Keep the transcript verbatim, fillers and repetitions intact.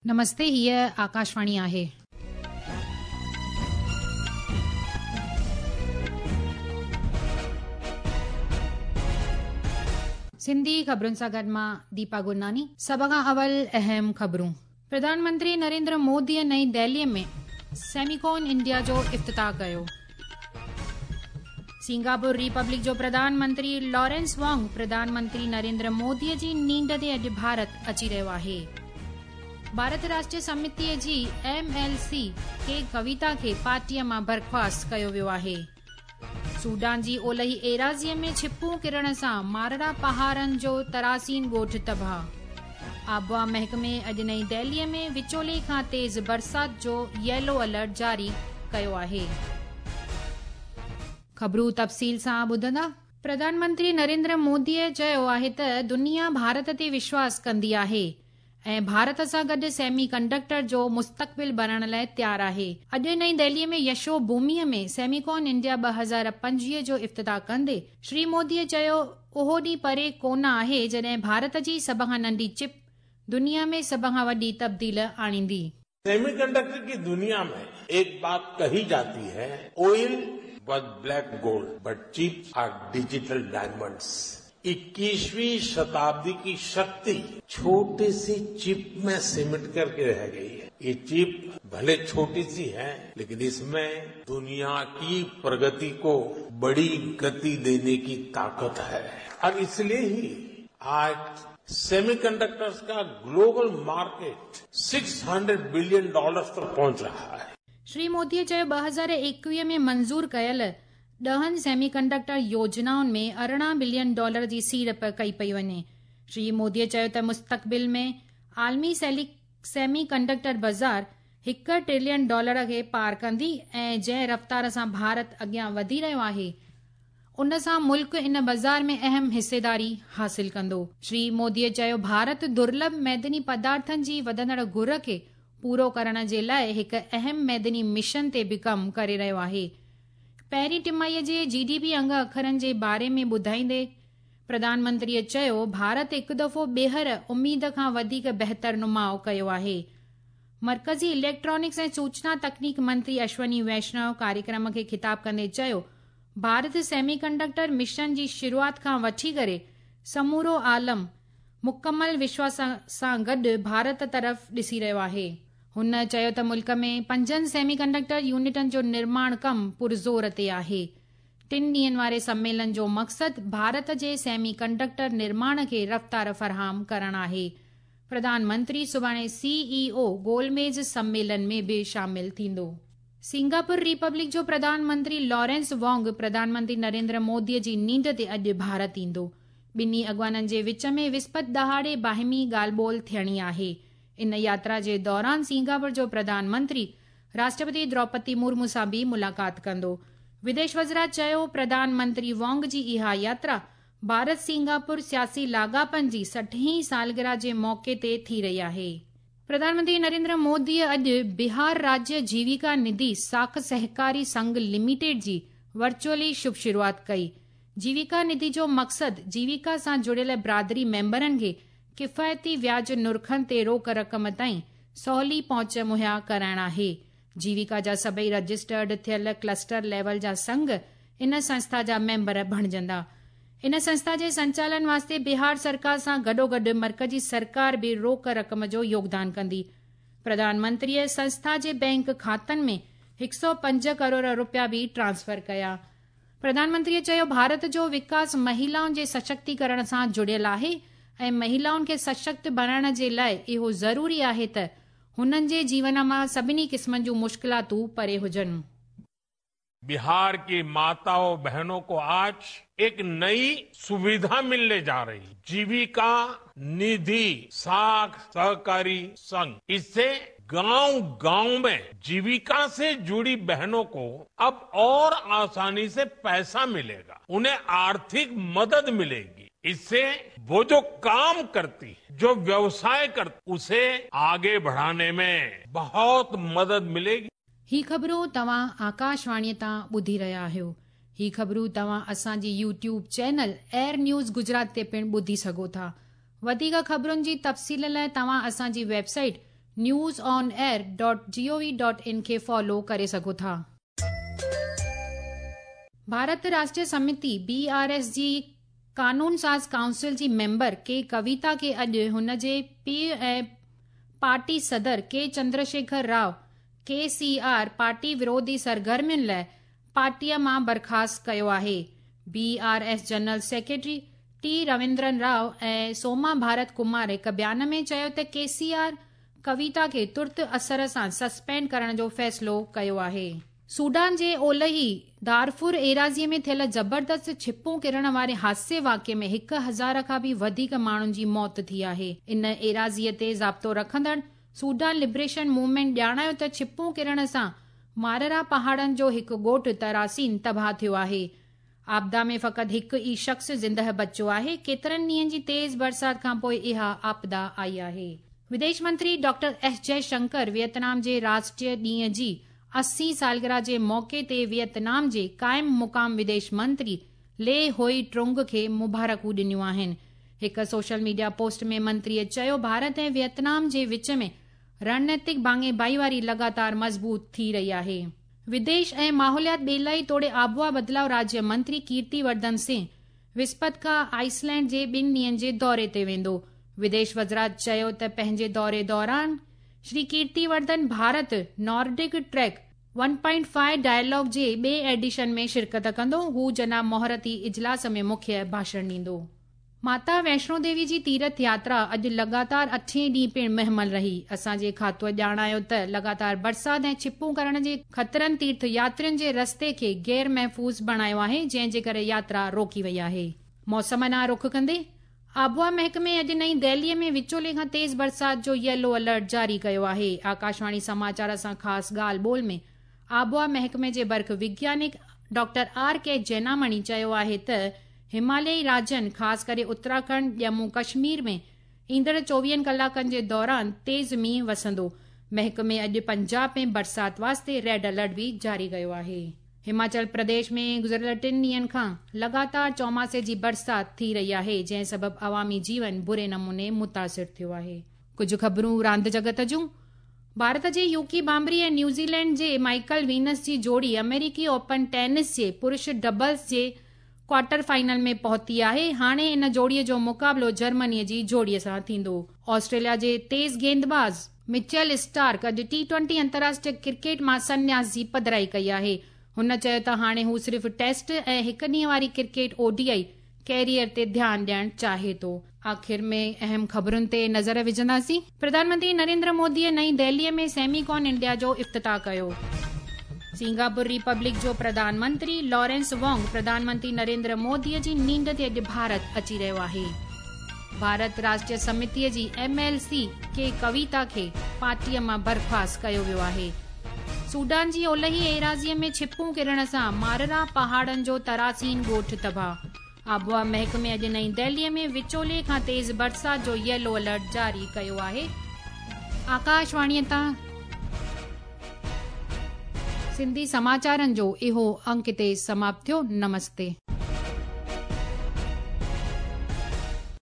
नमस्ते, हीअ आकाशवाणी आहे। सिंधी ख़बरुनि सां गॾु मां दीपा गुरनानी। सभ खां अवल अहम ख़बरूं। प्रधानमंत्री नरेंद्र मोदीअ नई दिल्लीअ में सेमिकॉन इंडिया जो इफ्तिताह कयो। सिंगापुर रिपब्लिक जो प्रधानमंत्री लॉरेंस वॉन्ग प्रधानमंत्री नरेंद्र मोदीअ जी नींड ते अॼु भारत अची रहियो आहे। भारत राष्ट्रीय समितीअ जी एम एल सी के कविता खे पार्टीअ मां बर्खास्त कयो वियो आहे। सूडान जी ओलही एराज़ीअ में छिपूं किरण सां मारड़ा पहाड़नि जो तरासीन ॻोठ तबाह। आबवा महकमे अॼु नई दिल्लीअ में विचोले खां तेज़ बरसात जो येलो अलर्ट जारी कयो आहे। ख़बरूं तफ़सील सां ॿुधंदा। प्रधानमंत्री नरेंद्र मोदीअ चयो आहे त दुनिया भारत ते विश्वास कंदी आहे ऐं भारत सां गॾु सेमी कंडक्टर जो मुस्तक़बिल बणाइण लाइ तयारु आहे। अॼु नई दिल्लीअ में यशो भूमिअ में सेमिकॉन इंडिया ॿ हज़ार पंजवीह जो इफ्तिताह कंदे श्री मोदीअ चयो, उहो ॾींहुं परे कोन आहे जॾहिं भारत जी सभ खां नंढी चिप दुनिया में सभ खां वॾी तब्दील आणींदी। सेमीकंडक्टर की दुनिया में एक बात कही जाती है, oil was black gold but chips are digital diamonds. इक्कीसवीं शताब्दी की शक्ति छोटी सी चिप में सिमट करके रह गई है। ये चिप भले छोटी सी है लेकिन इसमें दुनिया की प्रगति को बड़ी गति देने की ताकत है और इसलिए ही आज सेमीकंडक्टर्स का ग्लोबल मार्केट छह सौ बिलियन डॉलर्स तक पहुंच रहा है। श्री मोदीअ चयो, ॿ हज़ार एकवीह में मंज़ूर कयल ॾहनि सेमीकंडक्टर योजनाउनि में अरिड़हं बिलियन डॉलर जी सीड़प कई पई वञे। श्री मोदीअ चयो त मुस्तक़बिल में आलमी सेमीकंडक्टर बाज़ार हिकु ट्रिलियन डॉलर खे पार कंदी ऐं जंहिं रफ़्तार सां भारत अॻियां वधी रहियो आहे उन सां मुल्क इन बाज़ार में अहम हिस्सेदारी हासिल कंदो। श्री मोदीअ चयो, भारत दुर्लभ मैदनी पदार्थनि जी वधंदड़ घुर खे पूरो करण जे लाइ हिकु अहम मैदनी मिशन ते बि कमु करे रहियो आहे। पहिरीं टिमाहीअ जे जी डी पी अंग अखरनि जे बारे में ॿुधाईंदे प्रधानमंत्रीअ चयो, भारत हिकु दफ़ो ॿीहर उमेद खां वधीक बहितर नुमाउ कयो आहे। मर्कज़ी इलेक्ट्रॉनिक्स ऐं सूचना तकनीक मंत्री अश्वनी वैष्णव कार्यक्रम खे ख़िताब कंदे चयो, भारत सेमीकंडक्टर मिशन जी शुरूआत खां वठी करे समूरो आलम मुकमल विश्वास सां गॾु भारत तरफ़ ॾिसी रहियो आहे। हुन चयो त मुल्क में पंजनि सेमीकंडक्टर यूनिटनि जो निर्माण कमु पुरज़ोर ते आहे। टिनि ॾींहनि वारे सम्मेलन जो मक़सदु भारत जे सेमीकंडक्टर निर्माण खे रफ़्तार फराहम करणु आहे। प्रधानमंत्री सुभाणे सी ई ओ गोलमेज़ सम्मेलन में बि शामिल थींदो। सिंगापुर रिपब्लिक जो प्रधानमंत्री लॉरेंस वॉन्ग प्रधानमंत्री नरेंद्र मोदीअ जी नींड ते अॼु भारत ईंदो। ॿिन्ही अॻवाननि जे विच में विस्पत ॾहाड़े बाहिमी ॻाल्हि ॿोल थियणी आहे। इन यात्रा जे दौरान सिंगापुर जो प्रधानमंत्री राष्ट्रपति द्रौपदी मुर्मू सां बि मुलाक़ात कंदो। विदेश वज़रात चयो, प्रधानमंत्री वॉन्ग जी इहा यात्रा भारत सिंगापुर सियासी लाॻापनि जी सठहीं सालगिरह जे मौक़े ते थी रही आहे। प्रधानमंत्री नरेंद्र मोदीअ अॼु बिहार राज्य जीविका निधि साख सहकारी संघ लिमिटेड जी वर्चुअली शुभ शुरूआत कई। जीविका निधि जो मक़सदु जीविका सां जुड़ियल बिरादरी मेंबरनि खे किफ़ायती व्याज नुरखनि ते रोक रक़म ताईं सवली पहुच मुहैया कराइणु आहे। जीविका जा सभई रजिस्टर्ड थियल क्लस्टर लेवल जा संघ इन संस्था जा मेंबर बणिजंदा। इन संस्था जे संचालन वास्ते बिहार सरकार सां गॾोगॾु मर्कज़ी सरकार बि रोक रक़म जो योगदान कंदी। प्रधानमंत्रीअ संस्था जे बैंक खातनि में हिकु सौ पंज करोड़ रुपया बि ट्रांसफर कया। प्रधानमंत्रीअ चयो, भारत जो विकास महिलाउनि जे सशक्तीकरण सां जुड़ियल आहे ऐं महिलाउनि खे सशक्त बणाइण जे लाइ इहो ज़रूरी आहे त हुननि जे जीवन मां सभिनी क़िस्मनि जूं मुश्किलातूं परे हुजनि। बिहार की माताओं बहनों को आज एक नई सुविधा मिलने जा रही, जीविका निधि साख सहकारी संघ। इससे गांव गांव में जीविका से जुड़ी बहनों को अब और आसानी से पैसा मिलेगा, उन्हें आर्थिक मदद मिलेगी। इससे वो जो काम करती है, जो व्यवसाय करती, उसे आगे बढ़ाने में बहुत मदद मिलेगी। ही ख़बरूं तव्हां आकाशवाणीअ तां ॿुधी रहिया आहियो। ही ख़बरूं तव्हां असांजी YouTube channel air news Gujarat ते पिणु ॿुधी सघो था। वधीक ख़बरुनि जी तफ़सील लाइ तव्हां असांजी website news on air dot G O V dot in کي فالو ڪري سگهو ٿا. Bharat Rashtriya سمتي B R S جي قانون ساز ڪائونسل جي ميمبر ڪي ڪويتا کي اڄ هن جي پيءُ ۽ پارٽي صدر K Chandrashekar Rao K C R party وروڌي سرگرمين لاءِ پارٽيءَ مان برخاست ڪيو آهي. B R S general secretary T Ravindran Rao ۽ Soma Bharat Kumar هڪ بيان ۾ چيو ته ڪي سي آر ڪويتا کي ترت اثر سان سسپينڊ ڪرڻ جو فيصلو ڪيو آهي. سوڊان جي اولهي دارفور ايراضيءَ ۾ ٿيل زبردست ڇپون ڪرڻ واري حادثي واقعي ۾ هڪ هزار کان به وڌيڪ ماڻهن جي موت ٿي آهي. ان ايراضيءَ تي ضابطو رکندڙ سوڊان لبريشن موومينٽ ڄاڻايو ته ڇپون ڪرڻ سان ماررا پهاڙن جو هڪ ڳوٺ تراسين تباهه ٿيو آهي. آپدا ۾ فقط هڪ ئي شخص زندهه بچيو آهي. ڪيترن ڏينهن جي تيز برسات کان پوءِ اها آپدا آئي آهي. وديش منتري ڊاڪٽر ايس جئشنڪر ويٽنام جي راشٽريه ڏينهن جي اسي سالگرهه جي موقعي تي ويٽنام جي قائم مقام وديش منتري لي هوئي ٽرونگ کي مبارڪون ڏنيون آهن. هڪ سوشل ميڊيا پوسٽ ۾ منتريءَ چيو ڀارت ۽ ويٽنام جي وچ ۾ رڻنيتڪ ڀاڱي ڀائيواري لڳاتار مضبوط ٿي رهي آهي. وديش ۽ ماحوليات ٻيلائي توڙي آبهوا بدلاءُ راجيه منتري ڪيرتي ورڌن سنگهه وسپت کان آئسلينڊ جي ٻن ڏينهن جي دوري تي ويندو. وديش وزارت چيو ته پنهنجي دوري دوران Shri Kirti Vardhan Bharat Nordic track one point five dialogue جي ٻئي ايڊيشن ۾ شرڪت ڪندو. هو جناب مهورتي اجلاس ۾ مکيه ڀاشڻ ڏيندو. ماتا ويشنو ديوي جي تيرٿ ياترا اڄ لڳاتار اٺين ڏينهن پڻ مهمل رهي. اسان جي کاتوءَ ڄاڻايو ته لڳاتار برسات ۽ ڇپون ڪرڻ جي خطرن تيرٿ ياترين جي رستي کي غير محفوظ بڻايو آهي، جنهن جي ڪري ياترا روڪي وئي آهي. موسم ڏانهن رخ ڪندي آبهوا محڪمي اڄ نئين دهليءَ ۾ وچولي کان تيز برسات جو ييلو الرٽ جاري ڪيو آهي. آڪاشواڻي سماچار سان خاص ڳالهه ٻولهه ۾ آبهوا محڪمي جي برک وگيانڪ ڊاڪٽر آر ڪي جينامڻي چيو آهي ته هماليائي راجين خاص ڪري اتراکنڊ، ڄمون ڪشمير ۾ ايندڙ چوويهن ڪلاڪن جي دوران تيز مينهن وسندو. محڪمي اڄ پنجاب ۾ برسات واسطي ريڊ الرٽ به جاري ڪيو آهي. هماچل پرديش ۾ گذريل ٽن ڏينهن کان لڳاتار چوماسي جي برسات ٿي رهي آهي، جنهن سبب عوامي جيون بري نموني متاثر ٿيو آهي. ڪجهه خبرون راند جڳت جون. ڀارت جي يوڪي بامبري ۽ نيوزيلينڊ جي مائيڪل وينس جي جوڙي آمريڪي اوپن ٽينس جي پرش ڊبلز جي ڪوارٽر فائنل ۾ پهتي آهي. هاڻي ان جوڙيءَ جو مقابلو جرمنيءَ جي جوڙيءَ سان ٿيندو. آسٽريليا جي تيز گيندباز مچل اسٽارڪ اڄ ٽي ٽوئنٽي انترراشٽريه ڪرڪيٽ مان سنياس جي پڌرائي ڪئي آهي. هن چيو ته هاڻي هو صرف ٽيسٽ ۽ هڪ ڏينهن واري cricket O D I career تي ڌيان ڏيڻ چاهي ٿو. آخر ۾ اهم خبرن تي نظر وجهنداسين. پرڌان منتري نريندر موديءَ نئين دهليءَ ۾ سيميڪان انڊيا جو افتتاح ڪيو. سنگاپور ريپبلڪ جو پرڌان منتري لارنس وانگ پرڌان منتري نريندر موديءَ جي نينڍ تي اڄ ڀارت اچي رهيو آهي. ڀارت راشٽريه سمتيءَ جي ايم ايل سي ڪي ڪويتا کي پارٽيءَ مان برخاست ڪيو ويو آهي. سوڊان جي اولهي ايراضيءَ ۾ ڇپون ڪرڻ سان ماررا پهاڙن جو تراسين ڳوٺ تباهه. آبهوا محڪمي اڄ نئين دهليءَ ۾ وچولي کان تيز برسات جو ييلو الرٽ جاري ڪيو آهي. آڪاشواڻيءَ تان سنڌي سماچارن جو اهو انڪ هتي سماپت ٿيو. نمستي.